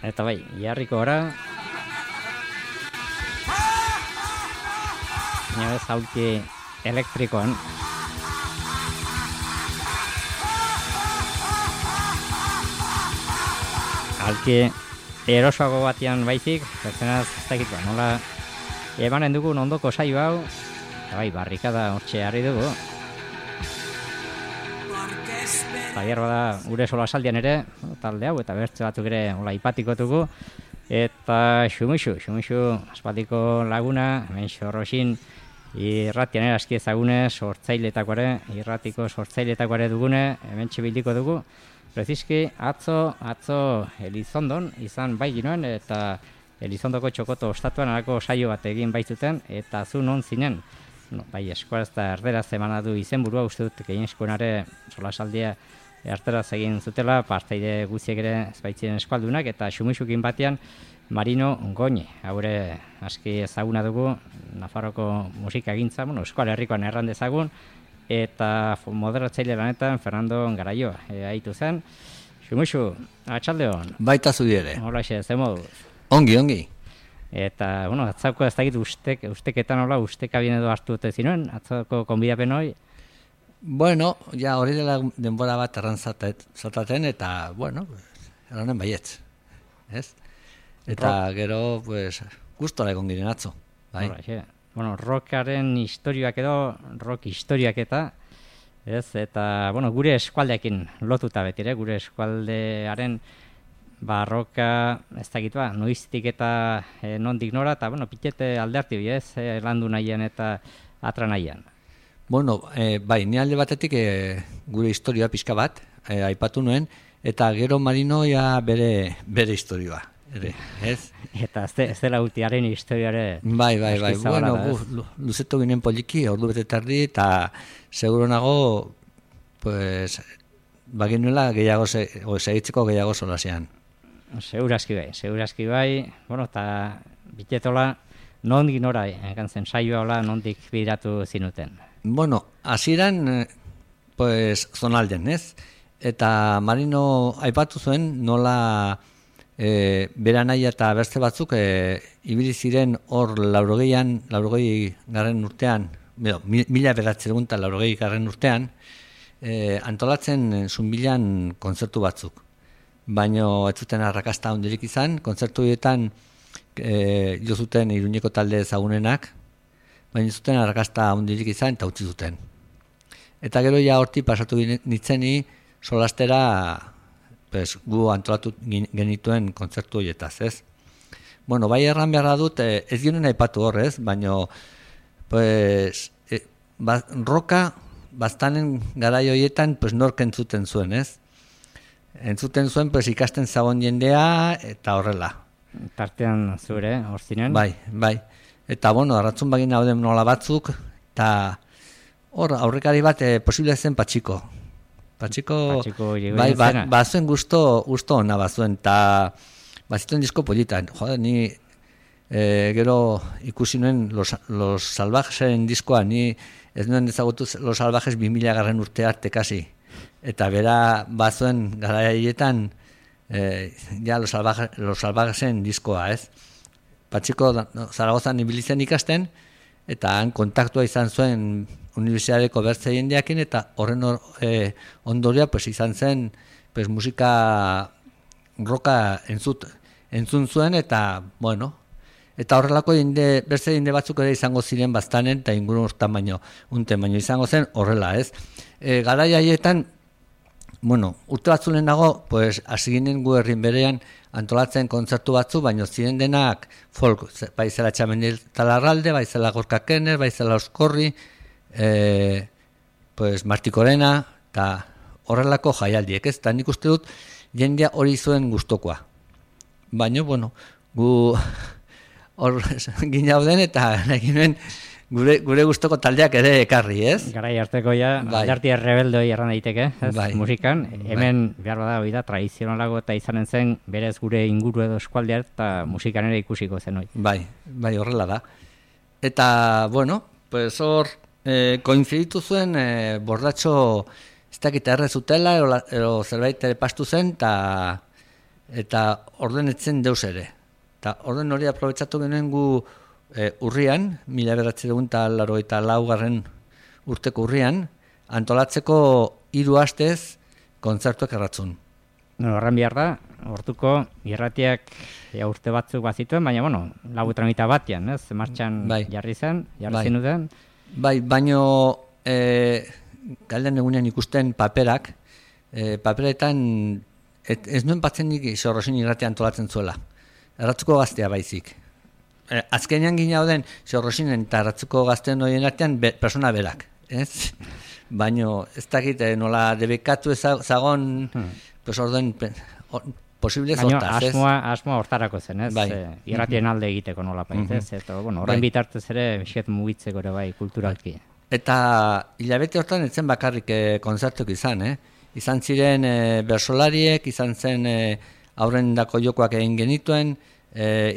Eta bai, jarriko gara. Baina ez aulki elektrikoan. Aulki erosoago batian baizik, bertzenaz ez dakit ba, nola emanen dugu ondoko saio hau. Eta bai, barrikada hortxe harri dugu. Eta da gure solasaldian ere, talde hau, eta bertze batzuk ere ipatikotugu. Eta Xumuxu aspaldiko laguna, hemen xorroxin, irratian aski ezagune, sortzailetako ere, irratiko sortzailetako ere dugune, hemen txibildiko dugu. Preziski, atzo Elizondon izan bai ginoen, eta Elizondoko txokoto ostatuan alako saio bat egin baitzuten, eta zu non zinen. No, bai, eskuaraz eta erderaz emana du izenburua, uste dut, gehien eskuenare solasaldia erderaz egin zutela, parteide guztiek ere ezbaitzien eskualdunak, eta Xumuxukin batean Marino Goñi, haure aski ezaguna dugu, Nafarroko musika egintza, Euskal Herrikoan erran dezagun, eta moderatzaile lanetan Fernando Garaioa haitu zen. Xumuxu, atxaldeon. Baita zudi ere. Holaxe, ze moduz? Ongi. Eta, atzako ez dakit usteketan hola, ustekabien edo hartu dute zinuen, atzako konbidapen hori? Bueno, ja hori dela denbora bat erran zataten, eta, erranen baietz, ez? Eta gero, gustora egon giren atzo, bai? Rockaren historiak edo, rock historiak eta, ez? Eta, gure eskualdeekin lotuta betire, gure eskualdearen barroka, ez dakit noiztik eta nondik nora, eta, pitete alderti bi, ez? Landu nahian eta atra nahian. Bai, ni alde batetik gure historia pixka bat, aipatu nuen, eta gero Marino ja bere historioa, ez? Eta ez dela ultiaren historiare... Bai, luzetu ginen poliki, ordu bete tardi, eta seguro nago, baginuela gehiago, segitzeko gehiago solasean. Segurazki bai, eta bitetola, nondik nora, gantzen saioa hola, nondik bideratu zinuten? Hasieran, zonalden, ez? Eta Marino aipatu zuen nola bera nahi eta beste batzuk ibili ziren hor 80 garren urtean, 1980 garren urtean, antolatzen zunbilan kontzertu batzuk. Baina ez zuten arrakasta handirik izan, kontzertu horietan jo zuten Iruñeko talde ezagunenak, baina zuten arrakasta handirik izan eta utzi zuten. Eta gero ja horti pasatu nitzeni solastera gu antolatu genituen kontzertu horietaz, ez? Bai erran beharra dut, ez ginen aipatu horrez, baina roka bastanen garai horietan nork entzuten zuen, ez? Entzuten zuen ikasten zagon jendea eta horrela. Tartean zure, hor zinen? Bai. Eta, arratzun bagina hauden nola batzuk, eta hor, aurrekari bat posible zen Patxiko. Patxiko, bai, bazuen gusto ona bazuen, eta bazituen disko politan. Ni gero ikusi nuen Los Salvajesen diskoa, ni ez nuen ezagutu Los Salvajes 2000 garren urte arte kasi. Eta bera bazuen garaietan Los Salvajesen diskoa, ez? Patxiko Zaragozan ibilitzen ikasten, eta han kontaktua izan zuen unibertsitateko bertze jendeakin, eta horren ondoria izan zen musika roka entzun zuen, eta eta horrelako bertze jende batzuk ere izango ziren bastanen, eta inguru hortan baino izango zen horrela, ez? Garai haietan, urte batzulen dago, hasi ginen gu herrin berean antolatzen kontzertu batzu, baina ziren denak folk, baizela Txamendil Talarralde, baizela Gorka Kenner, baizela Oskorri, Martikorena, eta horrelako jaialdiek, ez? Eta nik uste dut jendea hori zuen gustokoa. Baina, gu hor ginauden eta eginen gure gustoko taldeak ere ekarri, ez? Garai arteko alderti errebeldoi erran daiteke, ez? Musikan. Hemen, behar bada, hori da, tradizionalago eta izanen zen, berez gure inguru edo eskualdea eta musikan ere ikusiko zen hori. Bai, horrela da. Eta, hor, koinziditu zuen borratxo ez dakit erre zutela, edo zerbait ere pastu zen, eta eta orden etzen deus ere. Eta orden hori aprobetsatu genuen gu urrian, 1984 urteko urrian, antolatzeko 3 astez kontzertuak erratzun. Horren behar da, hortuko irratiak urte batzuk bazituen, baina, lau tramita batean, ez? Martxan jarri zenuten. Bai, baino galden egunean ikusten paperak, paperetan ez nuen batzen nik Xorrosin irratia antolatzen zuela. Erratzuko gaztea baizik. Azkenean gina den Xorrosinen eta erratzuko gazteen horien artean persona berak, ez? Baino ez dakit nola debekatu ezagon, pues orden posible zortaz, ez? Asmoa hortarako zen, ez? Irratien alde egiteko nola paitez, eta horren bitartez ere bixet mugitzeko ere bai kulturalki. Eta hilabete hortan etzen bakarrik konzertuk izan, Izan ziren bersolariek, izan zen aurrendako jokoak egin genituen,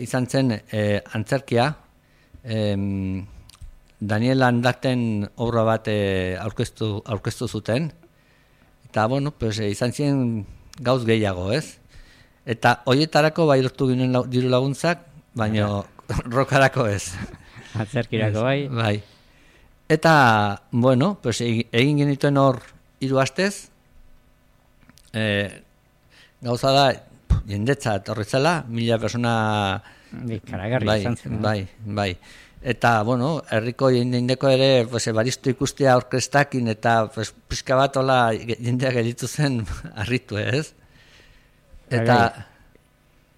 izan zen antzerkia, Daniel Andaten obra bat aurkeztu zuten, eta izan ziren gauz gehiago, ez? Eta horietarako bai lortu ginen diru laguntzak, baina rokarako ez. Antzerkirako bai. Bai. Eta, egin genituen hor 3 astez, gauza da, jendetza etorritzela, 1000 persona... Karagarri izan zen. Bai. Eta, herriko jendeko ere, baristu ikustea orkestakin, eta pixka bat hola jendeak gelditu zen harritu, ez? Eta...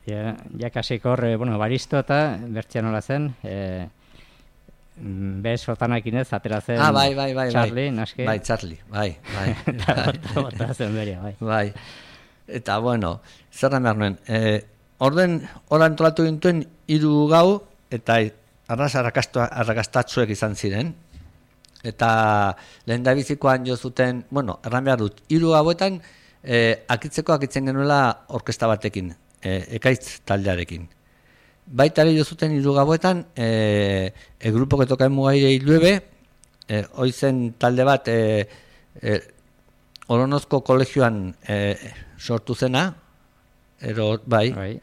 Jakasiko hor, baristo eta bertzean hola zen, bez otanakin ez, atera zen Charlie, naske? Bai, Charlie, bai. Eta zen beria, bai. Bai. Eta, zerra behar nuen. Orden, hor antolatu gintuen 3 gau, eta arras arrakastatzuek izan ziren. Eta lehen da bizikoan jo zuten, erran behar dut, 3 gauetan akitzen genuela orkesta batekin, ekaitz taldearekin. Baita ere jo zuten 3 gauetan, grupo que toca en Mugaire y Llueve, hoizen talde bat Olonozko kolegioan sortu zena, bai.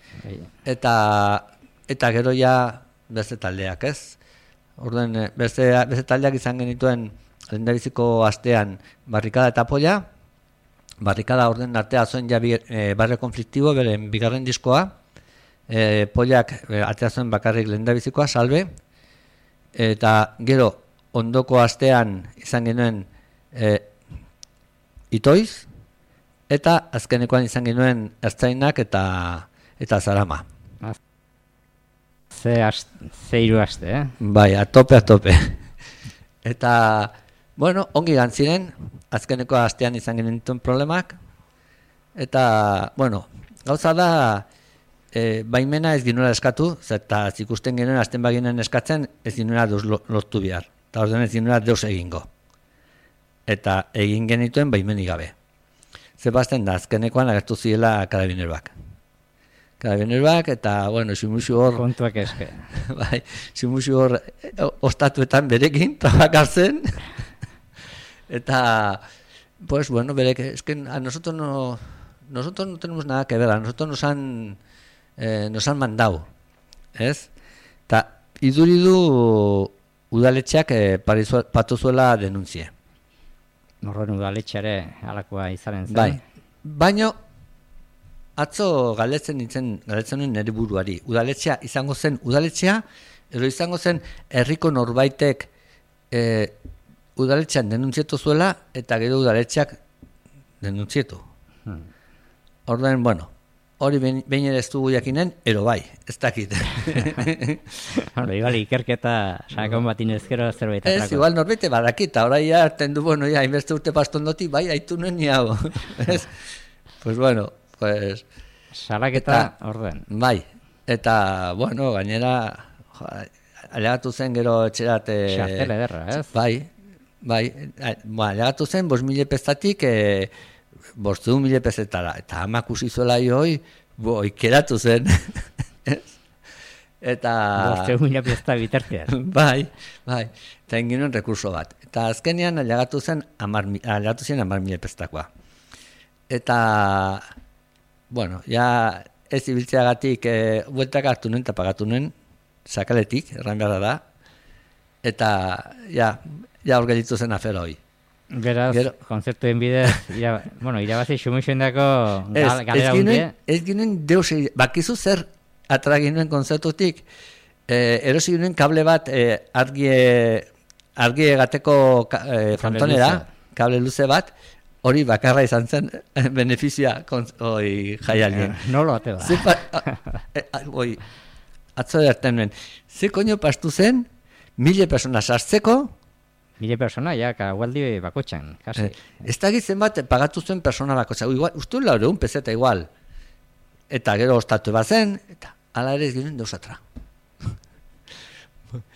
Eta gero ja beste taldeak, ez? Orden, beste taldeak izan genituen lehendabiziko astean Barrikada eta Polla. Barrikada orden artea zuen ja Barrio Konfliktibo, beren bigarren diskoa. Pollak atea zuen bakarrik lehendabizikoa, Salve. Eta gero ondoko astean izan genuen Itoiz, eta azkenekoan izan genuen Ertzainak eta Zarama. Ze 3 aste, Bai, a tope. Eta, ongi gantziren, azkeneko astean izan genituen problemak, eta, gauza da, baimena ez ginuela eskatu, eta zikusten genuen azten baginen eskatzen, ez ginuela deus lortu behar, eta ordean ez ginuela deus egingo. Eta egin genituen baimenik gabe. Zebazten da, azkenekoan agertu ziela karabineroak. Eta, simuxu hor... Kontuak eske. Bai, simuxu hor ostatuetan berekin, trabakartzen. Eta, berek, a nosotros no tenemos nada que ver, a nosotros nos han mandado, ¿ez? Eta, iduridu udaletxeak patu zuela denunzie. Norren udaletxeare alakoa izanen zen. Bai, baina atzo galdetzen nuen nire buruari. Udaletxea izango zen udaletxea, edo izango zen herriko norbaitek udaletxean denuntzietu zuela, eta gero udaletxeak denuntzietu. Orduan, hori behin ere ez dugu jakinen, ero bai, ez dakit. Igual ikerketa sakon batin ezkero zerbait atrako. Ez, igual norbete badakita, orai ja, harten du, hainbeste urte pastondoti, bai, haitu nuen niago. Salaketa orden. Bai, eta, gainera, alegatu zen gero etxerat... Xartel ederra, ez? Bai, alegatu zen, 5.000 pestatik... 5.000 pezetara, eta amak usizuela joi, ikeratu zen. Eta... 5.000 pezeta bitartean. Bai, eta inginen rekurso bat. Eta azkenean alegatu zen 10.000 pezetakoa. Eta, ja, ez ibiltzeagatik bueltak hartu nuen eta pagatu nuen, sakaletik, erran behar da, eta ja hor gelditu zen afera hoi. Beraz, konzertuen bidez, irabazi xumixuen dako galera hundia. Ez ginen deus, bakizu zer atragin nuen konzertutik, erosi ginen kable bat argi egateko frontonera, kable luze bat, hori bakarra izan zen benefizioa jaialien. Nolo ate da. Atzo derten nuen. Ze koño pastu zen, 1000 persona sartzeko, 1000 persona, gualdi bakotxan, kasi. Ez da gizen bat pagatu zuen persona bakotxan. Uste 400 peseta igual. Eta gero ostatu bazen, eta ala ere ez ginen deusatra.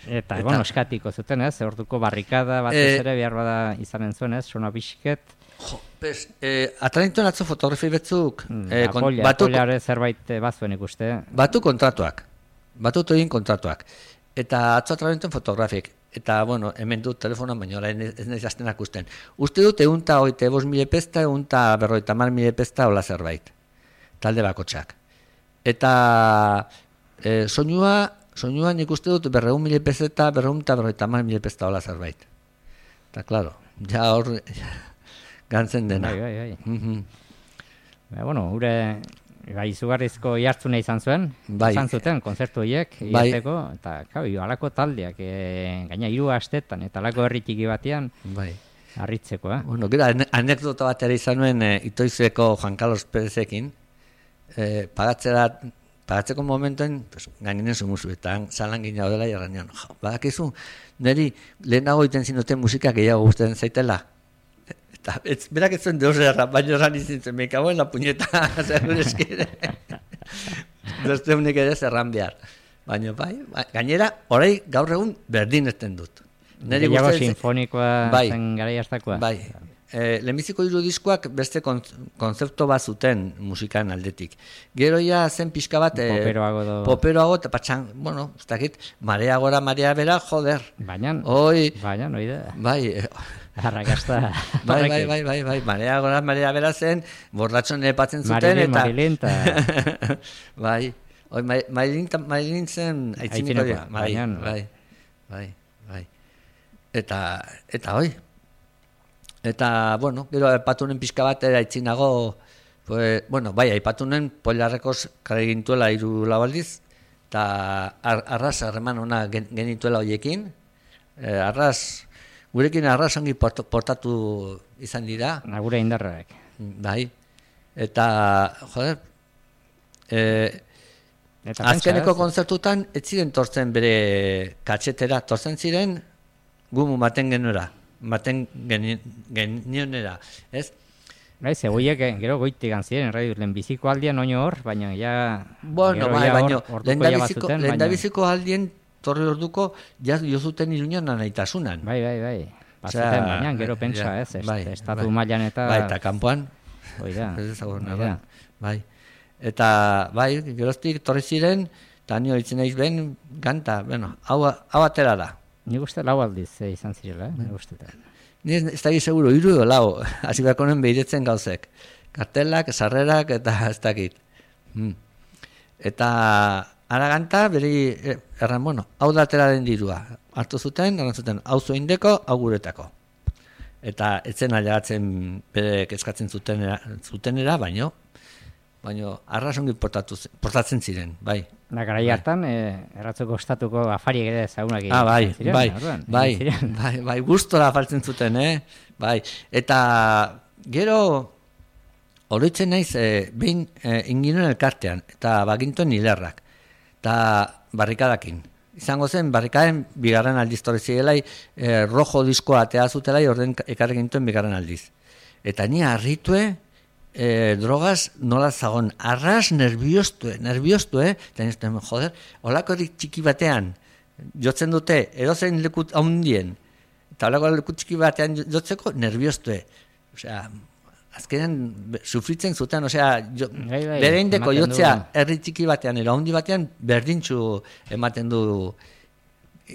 Eta eskatiko zuten ez, orduko barrikada batez ere behar bada izanen zuen ez, sona bisket. Atranituen atzo fotografi betzuk. Apollare zerbait bazuen ikuste. Batu kontratuak. Egin kontratuak. Eta atzo atranituen fotografik. Eta, hemen dut telefonan, baina orain ez nahiz astenak usten. Uste dut, 125.000 pesta, 150.000 pesta, hola zerbait. Talde bakotxak. Eta soinua nik uste dut, 200.000 pesta, 250.000 pesta, hola zerbait. Eta, klaro, ja hor gantzen dena. Bai, izugarrizko jartzuna izan zuen, izan zuten, konzertu horiek, iateko, eta alako taldeak, gaina 3 astetan, eta alako herritiki batean, harritzeko. Gero, anekdota bat ere izan nuen Itoizeko Juan Carlos Perezekin, pagatzeko momentuen, gaininen zumuzu, eta zalan gina dela jarranean, badakizu, niri lehenago iten zinuten musika gehiago guztien zaitela, eta berak ez zuen deus erra, baina erran izintzen, me cago en la puñeta, zer eskire. Dozteunik ere zerran behar. Baina gainera, orai gaur egun berdin ezten dut. Gehiago sinfonikoa zen gara jartakoa. Lehenbiziko 3 diskoak beste konzepto bat zuten musikan aldetik. Gero ja zen pixka bat poperoago, eta patxan, ez dakit, marea gora, marea bera, joder. Baina, noi da. Arrakasta. Bai, marea gora, marea bera zen, borratxon epatzen zuten, eta... Marilin, Bai, Marilin zen aitzineko dira. Bai. Eta hoi. Eta, gero aipatunen pixka bat aitzinago, aipatunen Pollarrekoz kare gintuela 3 aldiz, eta arras harreman ona genituela hoiekin. Gurekin arras ongi portatu izan dira. Gure indarrak. Bai. Eta, azkeneko konzertutan ez ziren tortzen bere katxetera, tortzen ziren gumu maten genionera, ez? Bai, zegoiek gero goitik ziren, lehen biziko aldian oino hor, baina ja... Lehen da biziko aldien torri orduko jozuten Iruñan anaitasunan. Bai. Bazuten, baina gero pentsa, ez? Estatu mailan eta... Bai, eta kanpoan. Bai. Eta, geroztik torri ziren, eta nio itzen eiz ben, ganta, hau atera da. Nik uste 4 aldiz izan zirela, nik uste. Ni ez dakit seguro, 3 edo 4, hasi beharko nuen behiretzen gauzek. Kartelak, sarrerak, eta ez dakit. Eta araganta, beri, hau da atera den dirua. Hartu zuten, hau zoindeko, hau guretako. Eta etzen ailegatzen bere kezkatzen zutenera, baino arrasongi portatzen ziren, bai. Garai hartan, erratzeko estatuko afariek ere zagunak egin. Bai, gustora faltzen zuten, bai. Eta gero, oroitzen naiz, behin inginen elkartean, eta bagintuen hilerrak, eta barrikadakin. Izango zen, barrikaden bigarren aldiz torri zirelai, rojo diskoa atea zutelai, orden ekarri gintuen bigarren aldiz. Eta ni harritue, drogaz nola zagon, arras nerviostue, eta nizten, joder, holakorik txiki batean jotzen dute, edozein lekut haundien, eta holako lekut txiki batean jotzeko nerviostue. Osea, azkenean sufritzen zuten, bere indeko jotzea herri txiki batean, ero haundi batean, berdintxu ematen du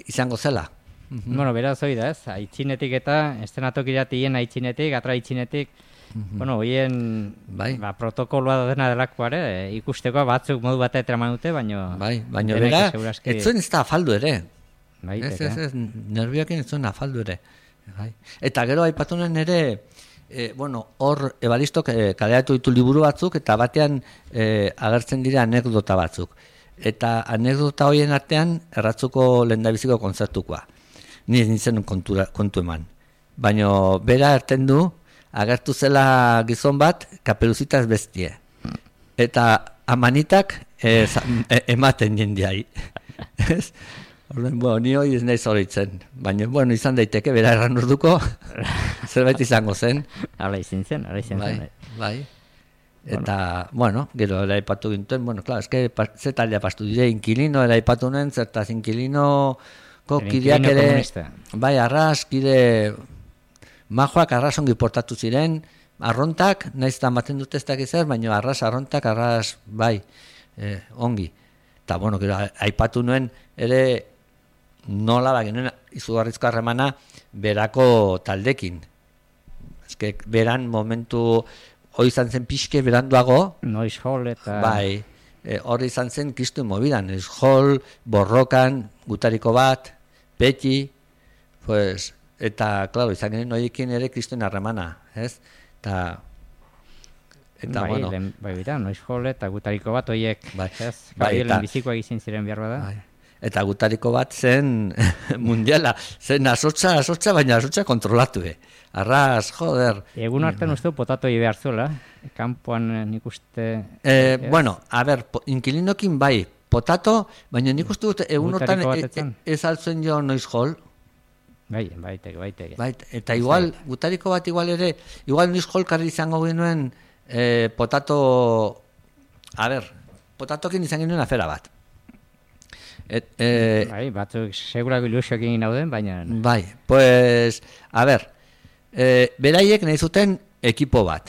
izango zela. Beraz hori da ez, aitzinetik eta estenatokiratik aitzinetik, atra aitzinetik, Bueno, hoien protokoloa dena delakoa ere, ikusteko batzuk modu bat eraman dute, baina bera, ez zuen ez da afaldu ere. Ez, nervioekin ez zuen afaldu ere. Eta gero aipatunen ere, hor Ebaristok kaleratu ditu liburu batzuk, eta batean agertzen dira anekdota batzuk. Eta anekdota horien artean Erratzuko lehendabiziko kontzertukoa. Ni nintzen kontu eman. Baina bera erten du, agertu zela gizon bat, kapeluzitaz bestie. Eta amanitak ematen jendiai. Ni hori ez nahi zoritzen. Baina, izan daiteke, bera erran urduko, zerbait izango zen. Hala izin zen. Bai. Eta, gero eraipatu gintuen, claro, eske ze taldea pastu dire, inkilino eraipatu nuen, zertaz inkilinoko kideak ere, bai, arras, kide, majoak arras ongi portatu ziren, arrontak, nahiz eta maten dute ez dakiz zer, baina arrontak, bai, ongi. Eta, gero aipatu nuen, ere, nola genuen izugarrizko harremana berako taldekin. Eske, beran momentu hori izan zen pixke beranduago. Noiz Hall eta... Bai, hori izan zen kristu mobidan. Noiz Hall, Borrokan, Gutariko bat, Peti, pues, eta, klaro, izan genuen horiekin ere kristuen harremana, ez? Eta Noiz Hall eta Gutariko bat horiek, ez? Gabrielen bizikoak izin ziren behar bada. Eta Gutariko bat zen mundiala, zen asotza, baina asotza kontrolatu, Arras, joder. Egun artean uste potatoi behar zuela, kanpoan nik uste... inkilinokin bai, potato, baina nik uste dut egun hortan ez altzuen jo Noiz Hall. Baiteke. Eta igual, Gutariko bat igual ere, igual Noiz Hall karri izango genuen potato... potatokin izan genuen afera bat. Batzuk segurako ilusioak egin dauden, baina... Bai, pues, beraiek nahi zuten ekipo bat.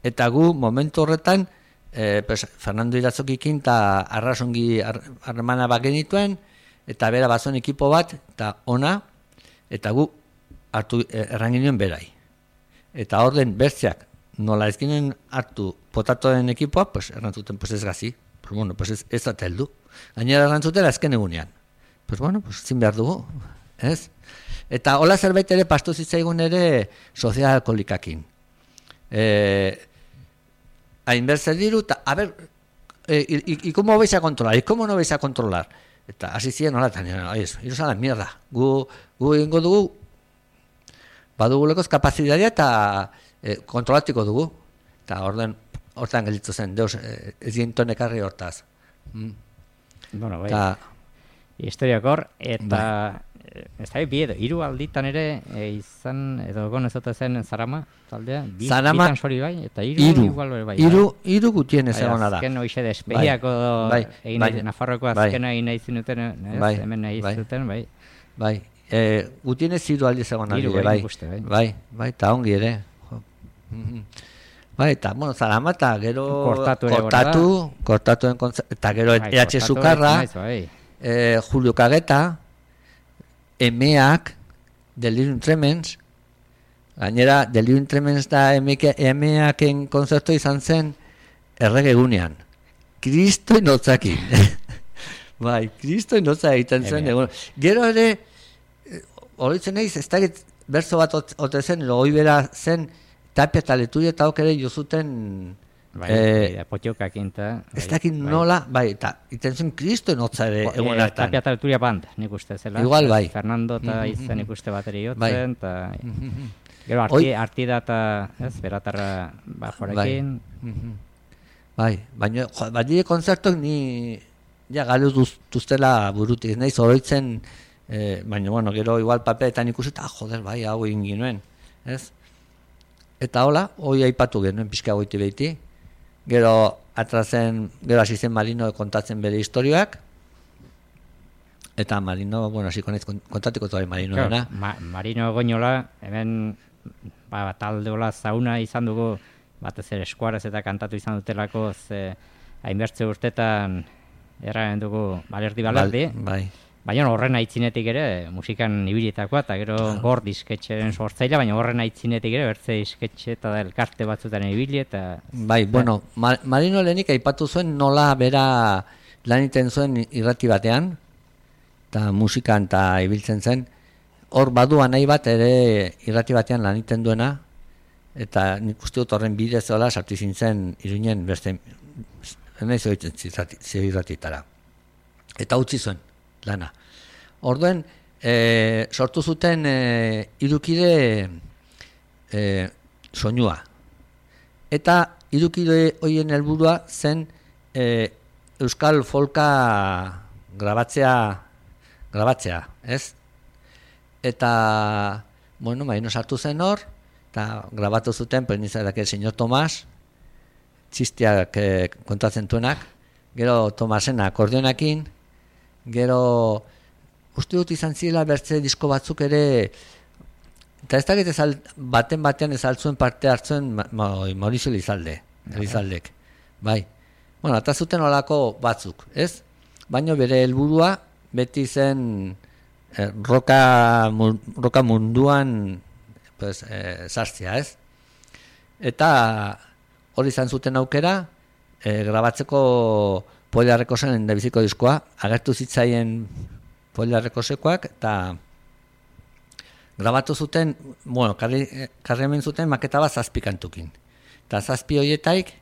Eta gu momentu horretan, Fernando Iratzokikin eta arrasongi harremana bat genituen, eta bera bazuen ekipo bat, eta ona, eta gu hartu erranginuen berai. Eta orden bertzeak, nola ez ginen hartu potatoen ekipoa, errantzuten ez gazi, ez da teldu. Gainera errantzutela azken egunean. Zin behar dugu, ez? Eta hola zerbait ere pastu zitzaigun ere sozial alkoholikakin. Hainbertze diru, eta, ¿y cómo vais a controlar? ¿Y cómo no vais a controlar? Eta hasi ziren hola, eta iros a la mierda. Gu egingo dugu, badugulekoz kapazitatea eta kontrolatiko dugu. Eta hortan gelditu zen, deus, ez ginton ekarri hortaz. Historiakor, eta... Ez da, hiru alditan ere izan, edo egon ez dute zen Zarama taldea, bitan sori bai, eta hiru igual bai. Hiru gutien ez egona da. Azken hoxe despediako Nafarroko azkena egin nahi zinuten, hemen nahi zuten, bai. Bai, gutien ez hiru aldiz egona dira, bai, eta ongi ere. Bai, eta, Zarama eta gero kortatuen kontzertu, eta gero EH Sukarra, Julio Kageta, Emeak, Delirium Tremens, gainera Delirium Tremens da Emeaken konzertu izan zen erregegunean. Kristo inotzakin. Bai, Kristo inotza egiten zen. Gero ere, horitzen nahiz, ez da berzo bat ote zen, hori bera zen, Tapia eta Leturia eta ere jozuten... potiokakin eta... Ez dakit nola, eta iten zen Kristo enotza ere egun hartan. Tapia eta Leturia band, nik uste zela. Igual, bai. Fernando eta izen nik uste bateri jotzen, eta... Gero, artida eta, beratarra bajorekin. Bai, baina, badire konzertok ni... Ja, galo duztela burutik, nahiz oroitzen, baina, gero, igual paperetan ikusi, eta, joder, bai, hau egin ginuen, ez? Eta hola, hoi aipatu genuen pixka goiti behiti. Gero hasi zen Marino kontatzen bere historioak. Eta Marino, hasi kontatiko toa Marino dena. Marino goñola, hemen talde hola zauna izan dugu, batez ere eskuarez eta kantatu izan dutelako, hainbertze urtetan erraren dugu balerdi. Baina horren aitzinetik ere, musikan ibilitakoa, eta gero gor disketxeren sortzailea, baina horren aitzinetik ere, bertze disketxe eta elkarte batzutan ibili, eta... Bai, bueno, Marino lehenik aipatu zuen nola bera lan iten zuen irrati batean, eta musikan eta ibiltzen zen, hor badua nahi bat ere irrati batean lan iten duena, eta nik uste dut horren bidez hola sartu zintzen Iruinen beste, nahi zoitzen irratitara. Eta utzi zuen lana. Orduen, sortu zuten irukide soinua. Eta irukide hoien helburua zen euskal folka grabatzea, ez? Eta, bueno, Marino sartu zen hor, eta grabatu zuten, penizak el señor Tomás, txistiak kontatzen duenak, gero Tomasena akordionakin, gero uste dut izan zirela bertze disko batzuk ere, eta ez dakit batean ezaltzuen parte hartzuen Mauricio Elizaldek, bai. Bueno, eta zuten olako batzuk, ez? Baina bere helburua beti zen roka munduan pues, sartzea, ez? Eta hori izan zuten aukera, grabatzeko Polia Rekosen endabiziko diskoa, agertu zitzaien Polia Rekosekoak, eta grabatu zuten, bueno, karri hemen zuten maketa bat 7 kantukin. Eta 7 horietaik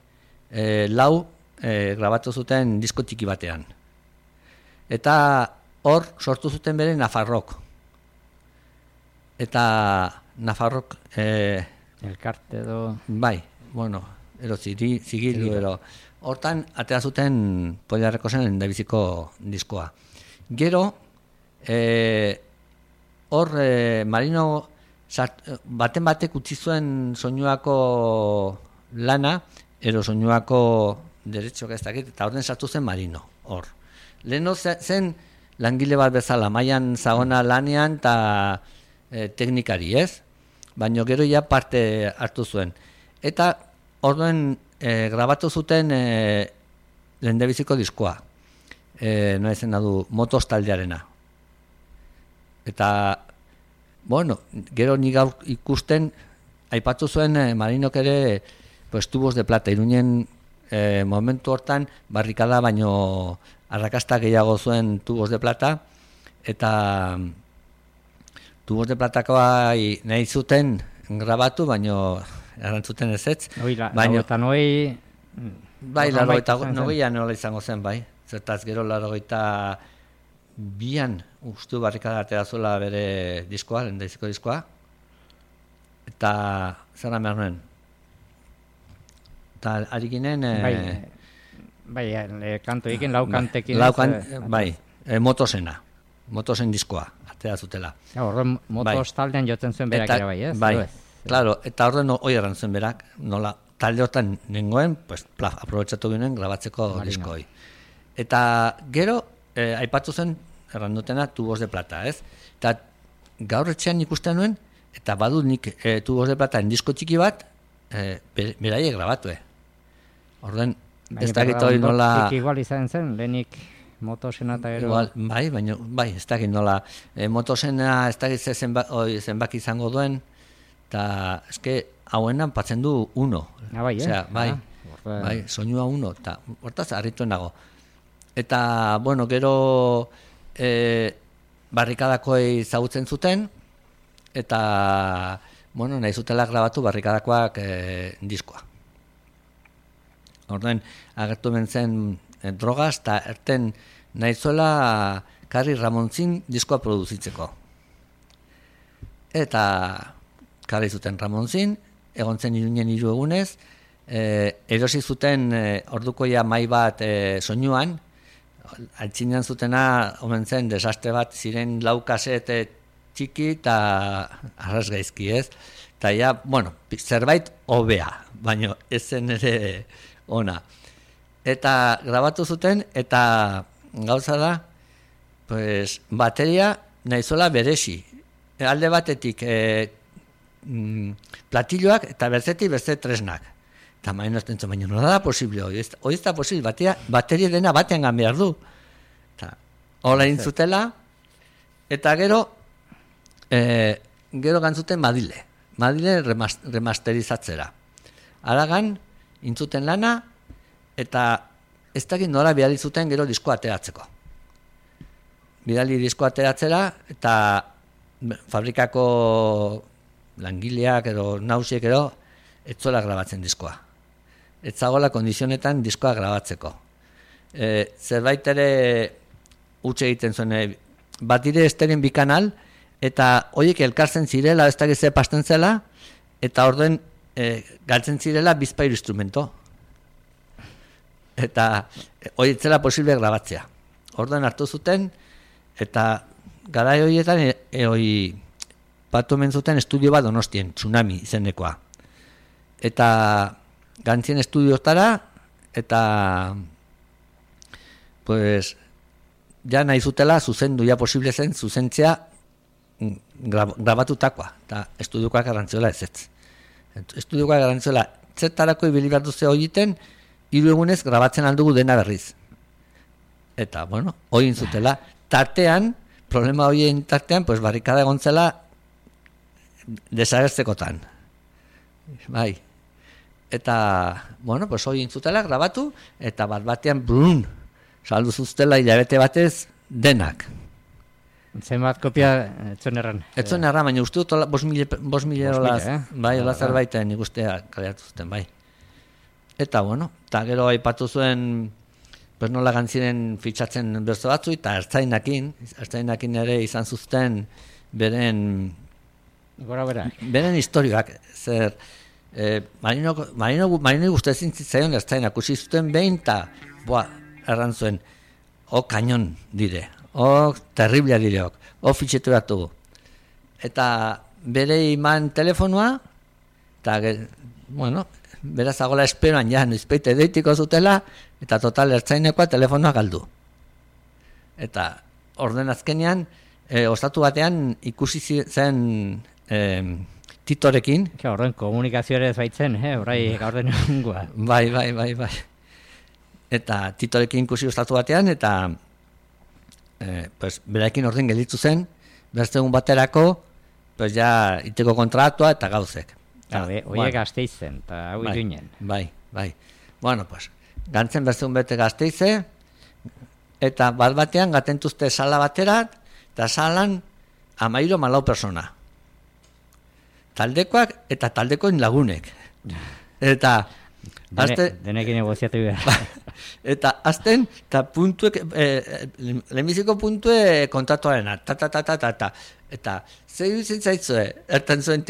4 grabatu zuten disko txiki batean. Eta hor sortu zuten bere Nafarrok. Eta Nafarrok... elkarte edo... Bai, bueno, zigilu, hortan atea zuten Polia Rekosen endabiziko diskoa. Gero, hor Marino baten batek utzi zuen soinuako lana, soinuako derechoak ez dakit, eta orden sartu zen Marino, hor. Leheno zen langile bat bezala, mailan zagona lanean eta teknikari, ez? Baina gero ja parte hartu zuen. Eta orduen grabatu zuten lehendabiziko diskoa. Noa izan du, Motos taldearena. Eta, bueno, gero nik gaur ikusten, aipatu zuen Marinok ere pues, tubos de plata. Iruinen momentu hortan barrikada baino arrakasta gehiago zuen tubos de plata, eta tubos de platakoa nahi zuten grabatu, baino erantzuten ezetz. Baina eta noi... Bai, 89an nola izango zen, bai. Zertaz gero 92an ustu barrikada atera zuela bere diskoa, lehendabiziko diskoa. Eta zer behar nuen? Eta ari ginen... Bai, kanto egin, lau kantekin. Bai, Motosen diskoa, atera zutela. Horren Motos taldean jotzen zuen berak ere bai, ez? Bai, claro, eta horren hoi erran zuen berak, nola, talde hortan nengoen, pues, aprobetxatu ginen grabatzeko diskoi. Eta gero, aipatu zen, erran dutena, tubos de plata, ez? Eta gaur etxean ikusten nuen, eta badut nik tubos de plata disko txiki bat, beraiek grabatu, Orden, ez dakit hori nola... Igual izan zen, lehenik Motosena eta gero... Bai, baina, bai, ez dakit nola. Motosena ez dakit zenbaki izango duen, eta eske hauenan patzen du 1. Bai, osea, bai, soinua 1, eta hortaz harrituen nago. Eta, bueno, gero barrikadakoei zagutzen zuten, eta, bueno, nahi zutela grabatu barrikadakoak diskoa. Orduan, agertu zen drogaz, eta erten nahi zuela Karri Ramontzin diskoa produzitzeko. Eta Karri zuten Ramontzin, egon zen Iruinen 3 egunez, erosi zuten ordukoia mai bat soinuan, altzinean zutena, omen zen, desastre bat, ziren 4 kaset txiki eta arras gaizki, ez? Eta ja, bueno, zerbait hobea, baina ez zen ere ona. Eta grabatu zuten, eta gauza da, pues, bateria nahizola beresi. Alde batetik platilloak eta bertzetik beste tresnak. Eta maien ozten zuen, baina nola da posible hori? Hori ez da posible, bateria dena batean behar du. Eta hola intzutela, Eta gero gantzuten Madile remasterizatzera. Aragan, intzuten lana, eta ez dakit nora bidali zuten gero diskoa ateratzeko. Bidali diskoa ateratzera, eta fabrikako langileak edo nausiek edo etzola grabatzen diskoa. Etzagola kondizionetan diskoa grabatzeko. Zerbait ere utxe egiten zuen, bat dire esteren bikanal, eta horiek elkartzen zirela, ez dakit ze pasten zela, eta orden galtzen zirela bizpairu instrumento. Eta hori zela posible grabatzea. Orden hartu zuten, eta garai horietan batu hemen zuten estudio bat Donostien, Tsunami izenekoa. Eta gantzien estudiotara, eta pues ja nahi zutela zuzendu, ja posible zen zuzentzea grabatutakoa, eta estudiokoak garrantziola ez. Estudiokoak garrantziola zertarako ibili behar duze horiten, 3 egunez grabatzen aldugu dena berriz. Eta, bueno, hori zutela. Tartean, problema horien tartean, pues barrikada egontzela desagertzekotan. Bai. Eta, bueno, pues hori zutela grabatu, eta batean, brun, saldu zuztela hilabete batez denak. Zenbat kopia etzuen erran? Etzuen erran, baina uste dut 5.000 olaz, bai, olaz erbaiten nik ustea kaleatu zuten, bai. Eta, bueno, eta gero aipatu zuen, pues nola gantziren fitxatzen berzo batzu, eta ertzainakin ere izan zuzten beren historioak, zer, Marino guztezin zitzaion ertzainak, usi zuten behin, eta, erran zuen, kanon dire, terriblea direok, fitxetu batugu. Eta bere iman telefonua, eta, bueno, beraz agola esperoan, ja, noizpeite deitiko zutela, eta total ertzainekoa telefonoa galdu. Eta orden azkenean, ostatu batean ikusi zen Titorekin. Orden komunikazio ere ez baitzen, orai gaur den egungoa. Bai. Eta Titorekin ikusi ostatu batean, eta pues, beraekin orden gelditu zen, berzegun baterako, pues ja, iteko kontratua eta gauzek. Oiek Gasteizen, eta hau iruinen. Bai. Bueno, pues, gantzen berzegun bete Gasteize, eta batean gatentuzte sala baterat, eta salan 13-14 persona. Taldekoak eta taldekoen lagunek. Eta denekin negoziatu behar. Eta azten, eta puntuek, lehenbiziko puntue kontatuarena, ta. Eta zer duzen zaitzue, erten zuen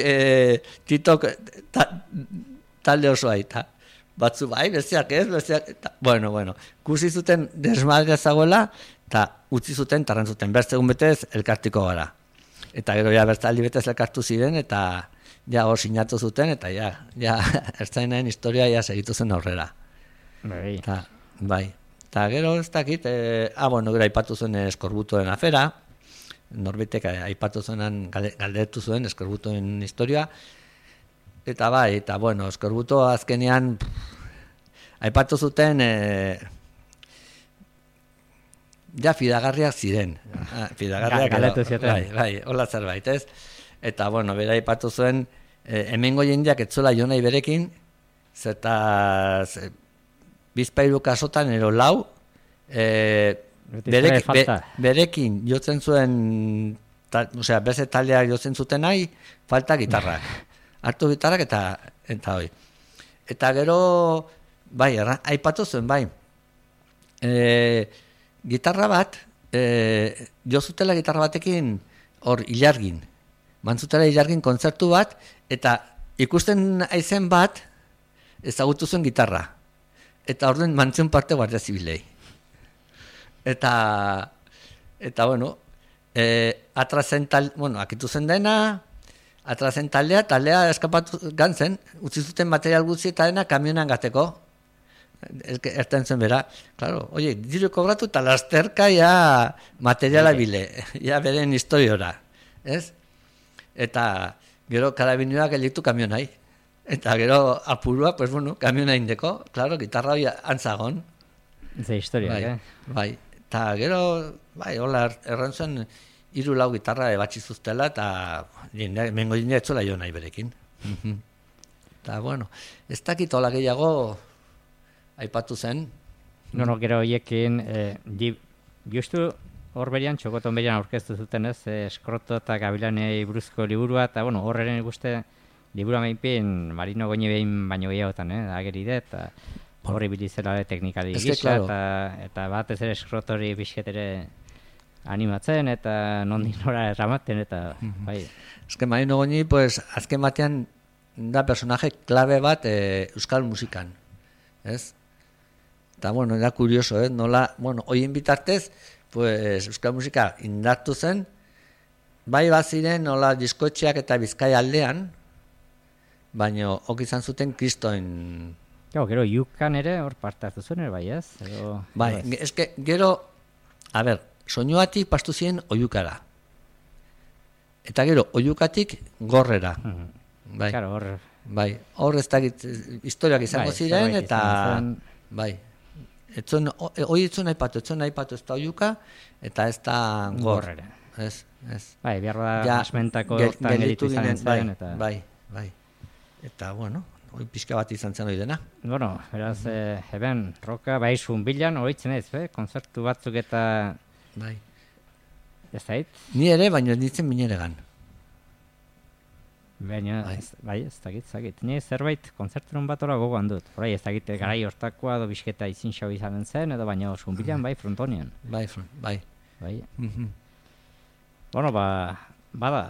Titok talde osoa, eta batzu bai, besteak ez, bueno, kusi zuten desmadrea zagoela, eta utzi zuten, tarran zuten, bertzegun betez elkartiko gara. Eta gero ja bertzaldi betez elkartu ziren, eta ja hor sinatu zuten, eta ja ertzainaen historia ja segitu zen aurrera. Bai. Eta gero ez dakit, bueno, gero aipatu zuen Eskorbutoen afera, Norbitek aipatu zuenan galdetu zuen Eskorbutoen historia, eta bai, eta bueno, Eskorbuto azkenean aipatu zuten ja fidagarriak ziren. Galdetu zioten. Bai, hola zerbait, ez? Eta bueno, bera aipatu zuen hemengo jendeak etzola jo nahi berekin, zertaz bizpairu kasotan ero lau, berekin jotzen zuen, beste taldeak jotzen zuten nahi, falta gitarrak. Hartu gitarrak eta hoi. Eta gero, bai, aipatu zuen, bai, gitarra bat, jozutela gitarra batekin hor ilargin, mantzutela ilargin kontzertu bat, eta ikusten aizen bat, ezagutu zuen gitarra. Eta orden mantzen parte Guardia Zibilei. Eta bueno, atrazen akitu zen dena, atrazen taldea eskapatu gantzen, utzi zuten material gutxi eta dena kamionan gateko. Erten zen bera, claro, oie, diru kobratu eta lasterka ja materiala bile, ja beren historiora, ez? Eta gero karabinoak gelditu kamionai. Eta gero apurua, pues bueno, kamiona indeko, claro, gitarra hori antzagon. Ze historia, bai. Eta gero, bai, hola, erran zuen, 3 lau gitarra ebatzi zuztela, eta mengo jendea etzola jo nahi berekin. Eta, bueno, ez dakit hola gehiago aipatu zen. No, gero horiekin, justu hor berian, txokoton berian aurkeztu zuten ez, Skroto eta Gabilanei buruzko liburua, eta, bueno, horreren ikuste liburua meinpin Marino Goñi behin baino gehiagotan, ageri det, eta horri bilizela teknikari gisa, eta batez ere Skrotori pixketere animatzen, eta nondik nora erramaten, eta bai. Ezken Marino Goñi, pues, azken batean da personaje klabe bat euskal musikan, ez? Eta, bueno, da kurioso, nola, bueno, hoien bitartez, pues, euskal musika indartu zen, bai baziren nola diskoetxeak eta Bizkaia aldean, baina ok izan zuten kristoen... Gero, Yukan ere hor parte hartu zuen, bai ez? Bai, eske, gero, a ber, soinuatik pastu ziren Oiukara. Eta gero, Oiukatik Gorrera. Bai, claro, hor... Bai, hor ez dakit historiak izango ziren, eta... Bai, hoi etzun aipatu ez da Oiuka, eta ez da Gorrera. Ez. Bai, behar da asmentako hortan gelitu izan zen, eta... Bai. Eta, bueno, hoi pixka bat izan zen hori dena. Bueno, beraz, eben, roka, bai, zunbilan, horitzen ez, konzertu batzuk eta... Bai. Ez zait? Ni ere, baina nintzen mineregan. Baina, bai, ez dakit. Ni zerbait konzerturun bat ora gogoan dut. Horai, ez dakit, garai hortakoa, edo bisketa izin xau izanen zen, edo baina zunbilan, bai, frontonian. Bai. Bueno, bada,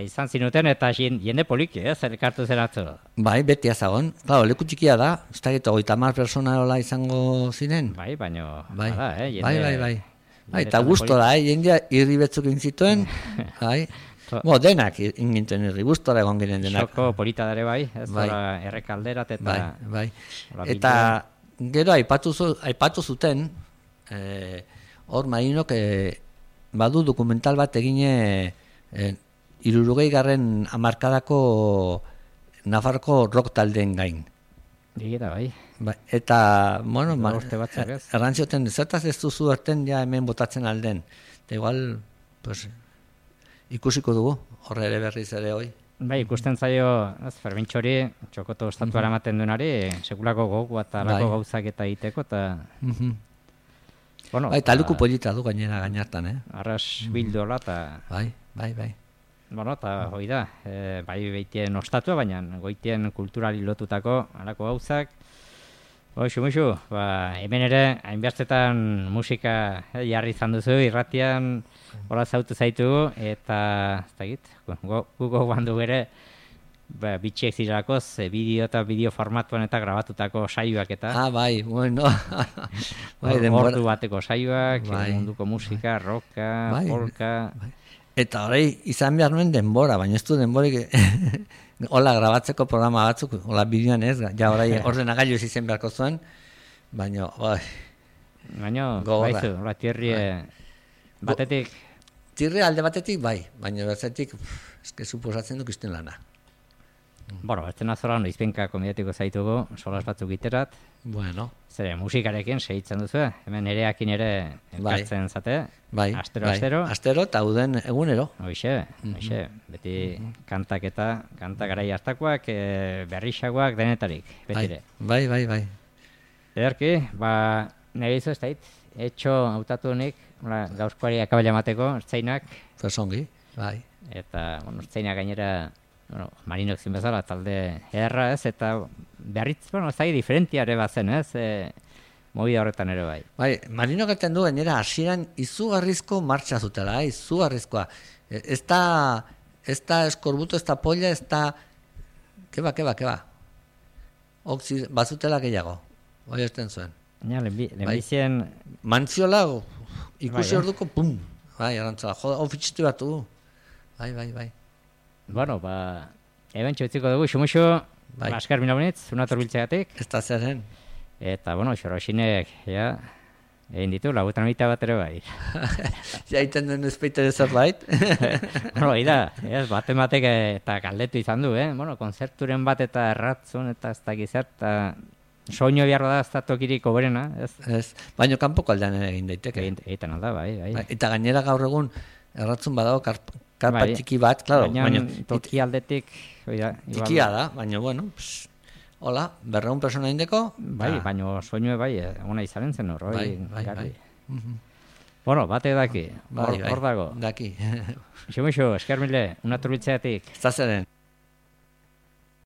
izan zinuten eta jende poliki, elkartu zen atzo. Bai, beti azagon. Claro, leku txikia da, ez da gito, 30 persona hola izango ziren. Bai, baina, bada, jende... Bai, eta gustora, jendea irri betzuk intzituen, bai. Denak ingintuen irri, gustora egon giren denak. Xoko polita dare bai, ez dara errekalderat eta... Bai. Eta gero aipatu zuten, hor Marinok badu dokumental bat egine 60. hamarkadako Nafarroko rock taldeen gain. Digita, bai. Eta, bueno, errantzioten, zertaz ez duzu erten ja hemen botatzen alden. Eta igual, pues, ikusiko dugu, horre ere berriz ere hoi. Bai, ikusten zaio, Fermintxori, txokoto estatuara ematen duenari, sekulako gogu eta lako gauzak eta egiteko, eta... Bai, taluku polita du gainartan, Arras bildola, eta... Bai. Bueno, eta hoi da, bai behitien ostatua, baina goitien kulturali lotutako alako gauzak. Muxu, hemen ere, hainbestetan musika jarri izan duzu, irratian hola zautu zaitugu, eta ez dakit, gugo bandu bere, bitxiek zirelakoz, bideo eta bideo formatuan eta grabatutako saioak eta... Bai, bueno. Ordu bateko saioak, munduko musika, rocka, polka... Eta horrei izan behar nuen denbora, baina ez du denborik hola grabatzeko programa batzuk, hola bideoan ez, ja horrei ordenagailu ez izen beharko zuen, baina, baina, baizu, hola tierrie batetik... Tierrie alde batetik, bai, baina batetik, eske suposatzen duk izten lana. Bueno, ez dena zoran, izpenka komediatiko zaitugu, solas batzuk iterat. Bueno. Zere, musikarekin segitzen duzu, hemen ereakin ere elkartzen zate. Bai, astero. Astero eta uden egunero. Hoxe, beti kanta garai hartakoak, berrixagoak denetarik, betire. Bai. Ederki, nire izo ez dait, etxo hautatu honik, gauzkoari akabela emateko, ertzainak. Fersongi, bai. Eta, ertzainak gainera... Marinok zin bezala, talde erra ez, eta beharritz, ez da diferentiare bat zen ez, movida horretan ere bai. Bai, Marinok eten du, gainera, hasieran izugarrizko martxa zutela, izugarrizkoa. Ez da eskorbuto, ez da polla, ez da... Keba. Bazutela gehiago, hori esten zuen. Lehenbizien... Mantziola, ikusi orduko, pum! Bai, arantzala, ofitxitu batu. Bai. Bueno, eben txotziko dugu, xumuxo, askar minabunitz, unator biltzegatik. Ez da zerren. Eta, xorosinek, egin ditu, lagutan mita bat ere bai. Jaiten duen ezpeite zerbait. Batek eta galdetu izan du, konzerturen bat eta erratzun eta ez da gizert, eta soño biharra da ez da tokirik oberena, ez? Ez, baina kanpoko aldean ere egin daiteke. Egiten alda, bai. Eta gainera gaur egun, erratzun badago karpa txiki bat, claro. Baina toki aldetik... Tikia da, baina, bueno, hola, 200 persona indeko. Bai, baina soinue bai, ona izanen zen hor, bai. Bueno, bate daki, hor dago. Daki. Xo, esker mile, una turbitzeatik. Zazeren.